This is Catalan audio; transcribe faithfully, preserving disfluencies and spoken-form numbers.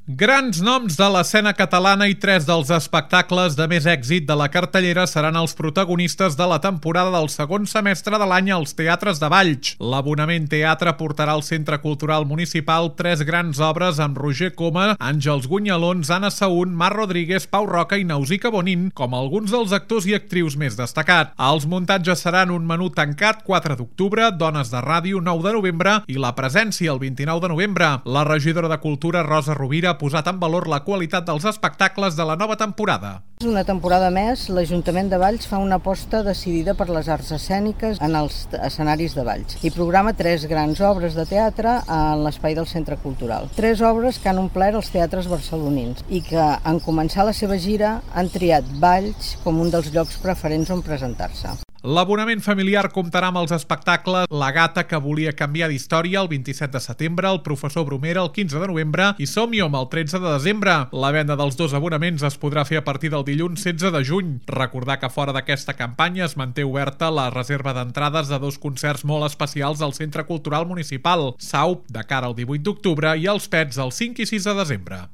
Grans noms de l'escena catalana i tres dels espectacles de més èxit de la cartellera seran els protagonistes de la temporada del segon semestre de l'any als teatres de Valls. L'Abonament Teatre portarà al Centre Cultural Municipal tres grans obres amb Roger Coma, Àngels Gunyalons, Anna Saún, Mar Rodríguez, Pau Roca i Nausica Bonin com alguns dels actors i actrius més destacats. Els muntatges seran un menú tancat quatre d'octubre, dones de ràdio nou de novembre i la presència el vint-i-nou de novembre. La regidora de Cultura, Rosa Rovira, ha posat en valor la qualitat dels espectacles de la nova temporada. Una temporada més, l'Ajuntament de Valls fa una aposta decidida per les arts escèniques en els escenaris de Valls i programa tres grans obres de teatre en l'espai del Centre Cultural. Tres obres que han omplert els teatres barcelonins i que, en començar la seva gira, han triat Valls com un dels llocs preferents on presentar-se. L'abonament familiar comptarà amb els espectacles La gata que volia canviar d'història el vint-i-set de setembre, El professor Bromera el quinze de novembre i Som-hi-hom el tretze de desembre. La venda dels dos abonaments es podrà fer a partir del dilluns setze de juny. Recordar que fora d'aquesta campanya es manté oberta la reserva d'entrades de dos concerts molt especials al Centre Cultural Municipal, Saup de cara al divuit d'octubre i Els Pets el cinc i sis de desembre.